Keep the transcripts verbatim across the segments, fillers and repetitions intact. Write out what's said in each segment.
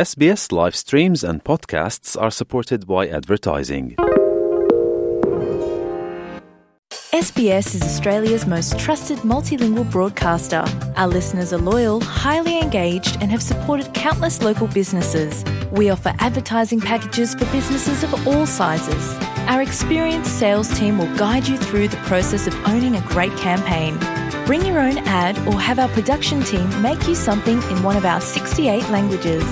S B S live streams and podcasts are supported by advertising. S B S is Australia's most trusted multilingual broadcaster. Our listeners are loyal, highly engaged, and have supported countless local businesses. We offer advertising packages for businesses of all sizes. Our experienced sales team will guide you through the process of owning a great campaign. Bring your own ad or have our production team make you something in one of our sixty-eight languages.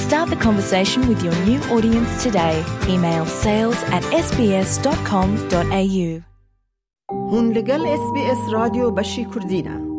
Start the conversation with your new audience today. Email sales at S B S dot com dot A U. Hûn li gel S B S Radyo beşî Kurdî ne.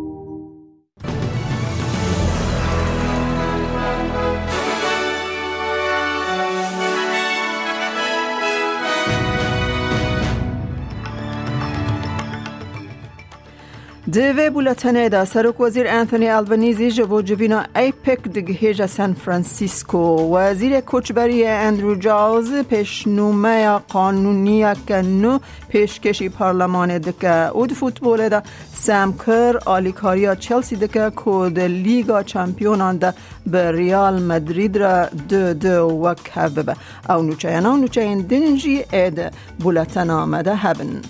Di vê bûletenê de Serokwezîr Anthony Albanese ji bo civîna APEC digihêje San Francisco. Wezîrê Koçberiyê Andrew Giles pêşnûmeya qanûniyeke nû pêşkêşî parlemanê dike û di futbolê de Sam Kerr alîkariya Chelsea dike ku di Lîga Çempiyonan de bi Real Madrid re du du wek hev bibe. Ew nûçeyana û nûçeyên din jî ê di bûletena me de hebin.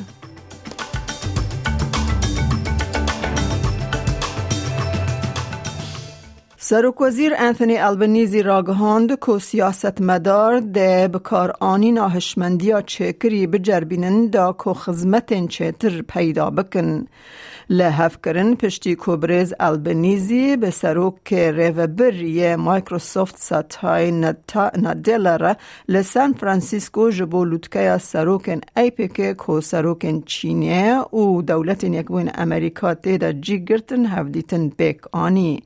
Serokwezîr Anthony Albanese ragihand ku siyasetmedar dê bikaranîna hişmendiya çêkirî biceribînin da ku xizmetên çêtir peyda bikin. Li hevkirin piştî ku birêz Albanese bi serokê rêvebir yê Microsoft Satya Nata-, Nadella re li San Francisco ji bo lûtkeya serokên APEC ku serokên Çînê û Dewletên Yekbûyên Amerîka tê de cî girtin hevdîtin pêk anî.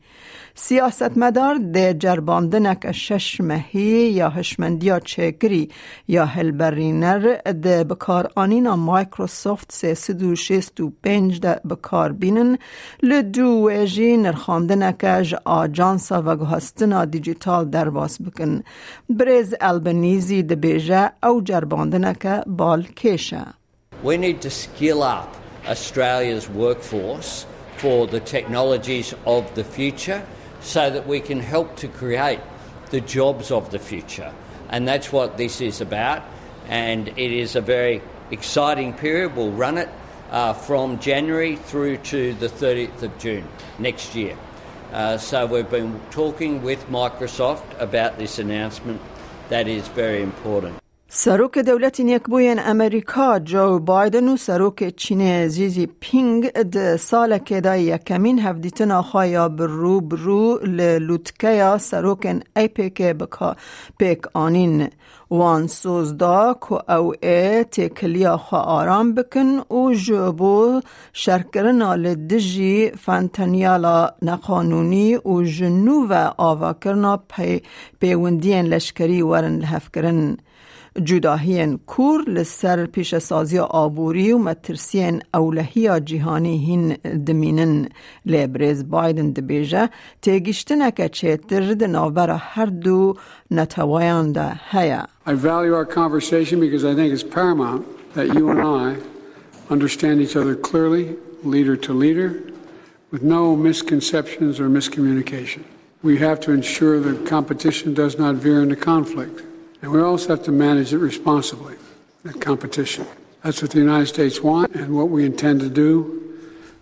Siyasetmedar dê cerbandineke şeş mehî ya hişmendiya çêkirî ya hilberîner di bikaranîna Microsoft sê sed û şêst û pênc de bi kar bînin, li dû wê jî nirxandineke ji ajansa veguhestina dîjîtal derbas bikin. Birêz Albanese dibêje ew cerbandineke balkêş e. We need to skill up Australia's workforce for the technologies of the future so that we can help to create the jobs of the future. And that's what this is about. And it is a very exciting period. We'll run it, uh, from January through to the thirtieth of June next year. Uh, so we've been talking with Microsoft about this announcement. That is very important. Serokê Dewletên Yekbûyên Amerîka Joe Biden û Serokê Çînê Xi Jinping di salekê de yekemîn hevdîtina xwe ya bi rû bi rû li lûtkeya serokên APEC bi ka-, pêk anîn. Wan soz da ku ew ê têkiliya xwe aram bikin û ji bo şerkirina li dijî fentanyala neqanûnî û ji nû ve avakirina pey-, pêwendiyên leşkerî werin lihevkirin. Cudahiyên kûr li ser pîşesaziya aborî û metirsiyên ewlehiya cîhanî hîn dimînin. Lê birêz Biden dibêje, têgiştineke çêtir di navbera her du neteweyan de heye. I value our conversation because I think it's paramount that you and I understand each other clearly, leader to leader, with no misconceptions or miscommunication. We have to ensure that competition does not veer into conflict. And we also have to manage it responsibly, that competition. That's what the United States want and what we intend to do.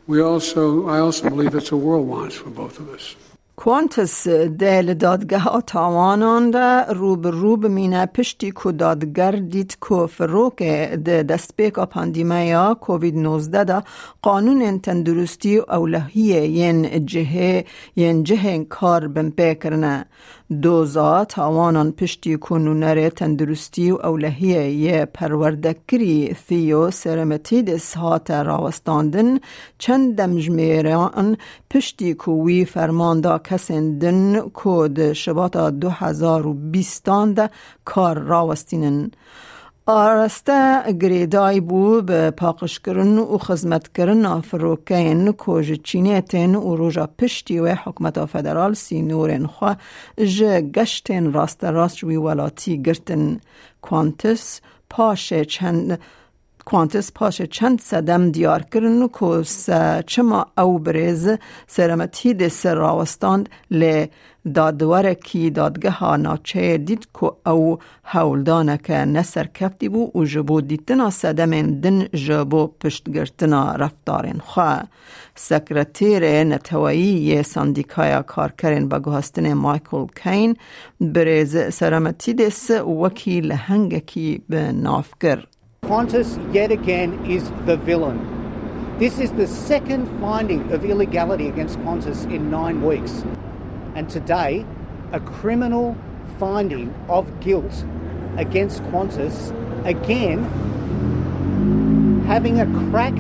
We also, I also believe that's what the world wants for both of us. Qantas dê li dadgeha tawanan de rû bi rû bimîne, piştî ku dadger dît ku firokê di destpêka pandîmeya Covid nozdeh de qanûnên tenduristî û ewlehiyê yên cihê, yên cihên kar binpê kirine. Doza tawanan piştî ku nûnerê tenduristî û ewlehiyê yê perwerdekirî Theo Seremetidis hate rawestandin, çend demjimêran piştî ku wî ferman da kesên din ku di Şibata du hezar û bîstan de kar rawestînin. Araste girêdayî bû bi paqijkirin û xizmetkirina firokeyên ku ji Çînê tên û roja piştî wê hikûmeta federal sînorên xwe ji geştên rasterast ji wî welatî girtin. Qantas paşê çend Qantas paşê çend sedem diyar kirin ku se-, çima ew birêz Sêremetîdê ser rawestand, lê dadwerekî dadgeha navçeyê dît ku ew hewldaneke neserkeftî bû û ji bo dîtina sedemên din ji bo piştgirtina reftarên xwe. Sekreterê Neteweyî yê Sendîkaya Karkerên Veguhestinê Michael Caine birêz Sêremetîdês wekî lehengekî bi nav kir. Qantas yet again is the villain. This is the second finding of illegality against Qantas in nine weeks. And today, a criminal finding of guilt against Qantas, again, having a crack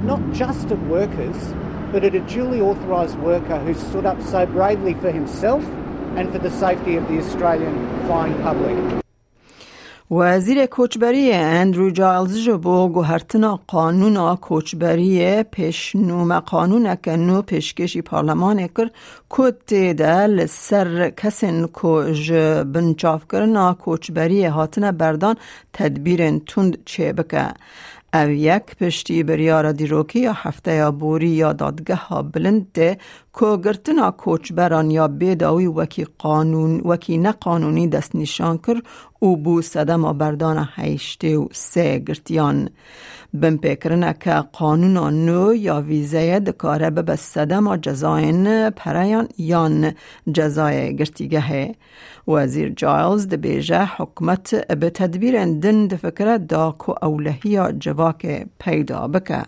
not just at workers, but at a duly authorised worker who stood up so bravely for himself and for the safety of the Australian flying public. Wezîrê Koçberiyê Andrew Giles ji bo guhertina qanûna koçberiyê pêşnûme qanûneke nû pêşkêşî parlemanê kir ku tê de li ser kesên ku ji binçavkirina koçberiyê hatine berdan tedbîrên tund çêbike. Ev yek piştî biryara dîrokî ya hefteya borî ya dadgeha bilind tê ku girtina koçberan ya bêdawî wekî qanûn, wekî neqanûnî destnîşan kir û bû sedema berdana heştê û sê girtiyan. Binpêkirineke qanûna nû ya vîzeyê dikare bibe sedema cezayên pereyan yan cezayê girtîgehê. Wezîr Giles dibêje, hikûmet bi tedbîrên din difikire da ku ewlehiya civakê peyda bike.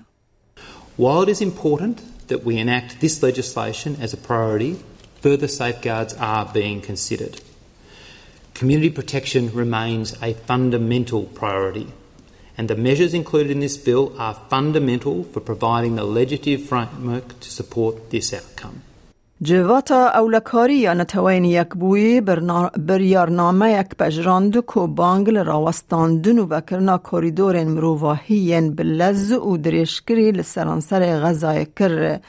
While it is important that we enact this legislation as a priority, further safeguards are being considered. Community protection remains a fundamental priority, and the measures included in this bill are fundamental for providing the legislative framework to support this outcome. Civata Ewlekarî ya Neteweyên Yekbûyî birna-, biryarnameyek pejirand ku bang li rawestandin û vekirina korîdorên mirovahî yên bi lez û dirêjkirî li seranserê Xezayê kir.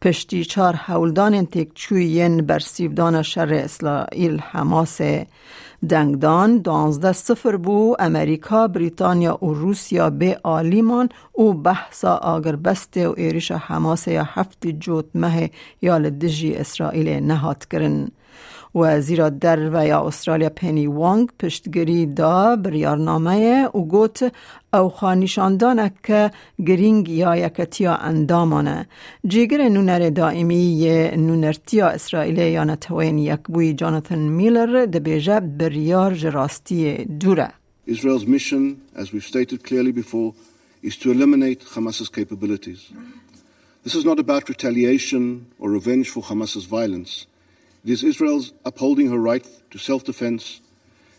Piştî çar hewldanên têkçûyî yên bersîvdana şerê Îsraîl-Hemasê. Dengdan duwazdeh sifir bû, Amerîka, Brîtanya û Rûsya bê alî man û behsa agirbestê û êrişa Hemasê ya heftê cotmehê ya li dijî Îsraîlê nehat kirin. Wezîra Derve ya Australya Penny Wong piştgirî da biryarnameyê û got, ew xwenîşandaneke girîng ya yeketiya endaman e. Cîgirê nûnerê daîmî yê nûnertiya Îsraîlê ya Neteweyên Yekbûyî Jonathan Miller dibêje, biryar ji rastiyê dûr e. Israel's mission, as we've stated clearly before, is to eliminate Hamas's capabilities. This is not about retaliation or revenge for Hamas's violence. It is Israel's upholding her right to self-defense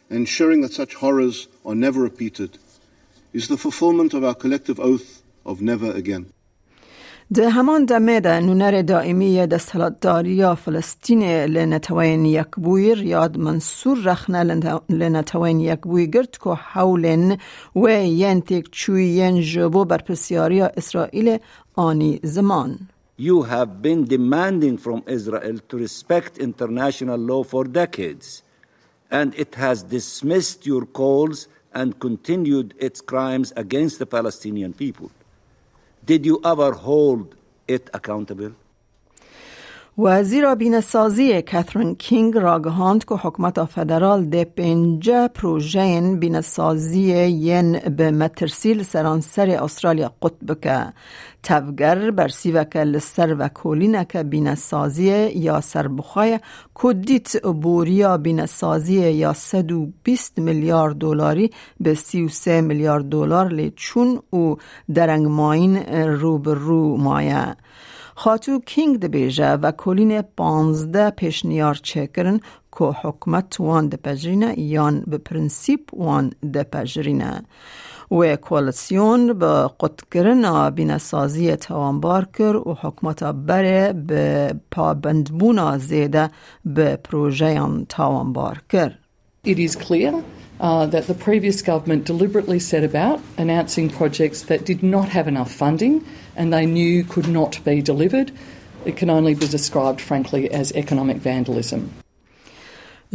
and ensuring that such horrors are never repeated. It is the fulfillment of our collective oath of never again. Di heman demê de nûnerê daîmî yê desthilatdariya Filistînê li Neteweyên Yekbûyî Riyad Mansûr rexne li ne-, li Neteweyên Yekbûyî girt ku hewlên wê yên têkçûyî yên ji bo berpirsyariya Îsraîlê anî ziman. You have been demanding from Israel to respect international law for decades, and it has dismissed your calls and continued its crimes against the Palestinian people. Did you ever hold it accountable? Wezîra Bînesaziyê Catherine King ragihand ku hikûmeta federal dê pênce projeyên bînesaziyê yên bi metirsî li seranserê Australya qut bike. Tevger bersîveke li ser vekolîneke bînesaziyê ya serbixwe ye ku dît boriya bînesaziyê ya sed û bîst milyar dolarî bi sî û sê milyar dolar lê çûn û derengmayîn rû bi rû maye. Xatû King dibêje, vekolînê panzdeh pêşniyar çêkirin ku hikûmet wan dipejirîne yan bi prensîp wan dipejirîne. Wê koalîsyon bi qutkirina bînesaziyê tawanbar kir û hikûmeta berê bi pabendbûna zêde bi projeyan tawanbar kir. It is clear, uh, that the previous government deliberately set about announcing projects that did not have enough funding and they knew could not be delivered. It can only be described, frankly, as economic vandalism.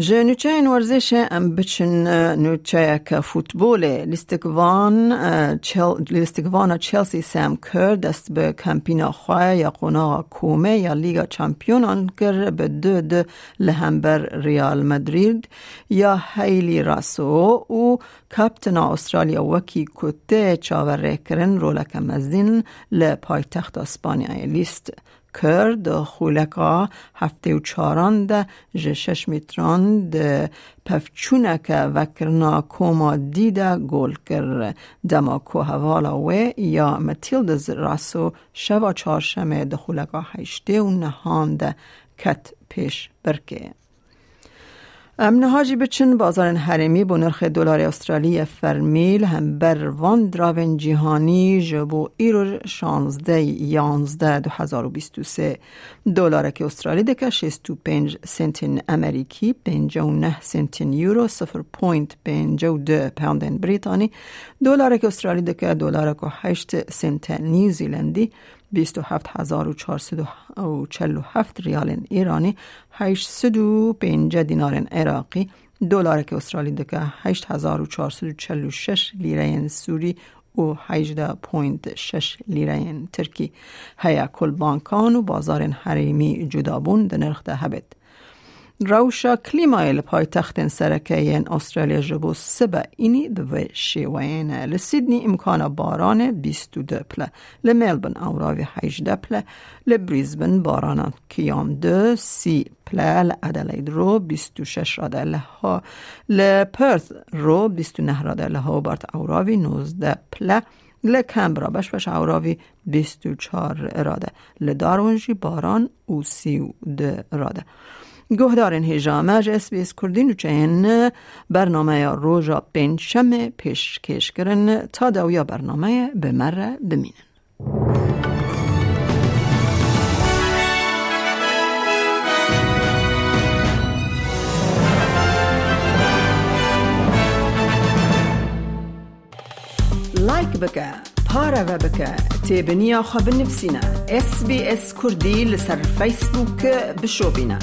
Ji nûçeyên werzişê em biçin, e, nûçeyeke futbolê. Lîstikvan, e, Chel-, lîstikvana Chelsea Sam Kerr dest bi kampîna xwe ya qonaxa komê ya Lîga Çampiyonan kir, bi du du li hember Real Madrid ya Hayley Raso û kaptena Australya wekî ku tê çaverêkirin roleke mezin li paytexta Spanyayê lîst. Kerr di xuleka heftê û çaran de ji şeş metran di pevçûneke vekirina koma dî de gol kir. Dema ku hevala wê ya Matildas Raso şeva çarşemê di xuleka heştê û nehan de ket pêş birkê. Em niha jî biçin bazarên herêmî bo nirxê dolarê Australî yê fermî li hember van diravên cîhanî ji bo îro şanzdeh yanzdeh du hezar û bîst û sê. Dolarekî Australî dike şêst û pênc sentên Amerîkî, pêncî û neh sentên Euro, sifir point pêncî û du poundên Brîtanî. Dolarekî Australî dike dolarek û heşt sente New Zealandî, bîst û heft hezar û çar sed û çel û heft riyalên Îranî, heşt sed û pêncî dînarên Iraqî, dolareke Australî dike heşt hezar û çar sed û çel û şeş lîreyên Sûrî û hejdeh point şeş lîreyên Tirkî. Heye ku li bankan û bazarên herêmî cudabûn di nirx de hebêt. Rewşa klîmayê li paytextên sereke yên Australya ji bo sibe înî bi vê şêweyê ne. Li Sydney îmkana baranê bîst û du pile, li Melbourne ewravî hejdeh pile, li Brisbane barana kiyan du, sî pile, li Adelaide ro bîst û şeş rade, li ha-, li Perth ro bîst û neh rade, li Hobart ewravî nozdeh pile, li Canberra beş beş ewravî bîst û çar rade. Li Darwin jî baran û sî û du rade. Guhdarên hêja me ji S B S Kurdî nûçeyên bernameya roja pêncşemê pêşkêş kirin. Ta dawiya bernameyê bi me re bimînin. Like bike, pareve bike, têbiniya xwe binivîsîne. S B S Kurdî li ser Facebook bişopîne.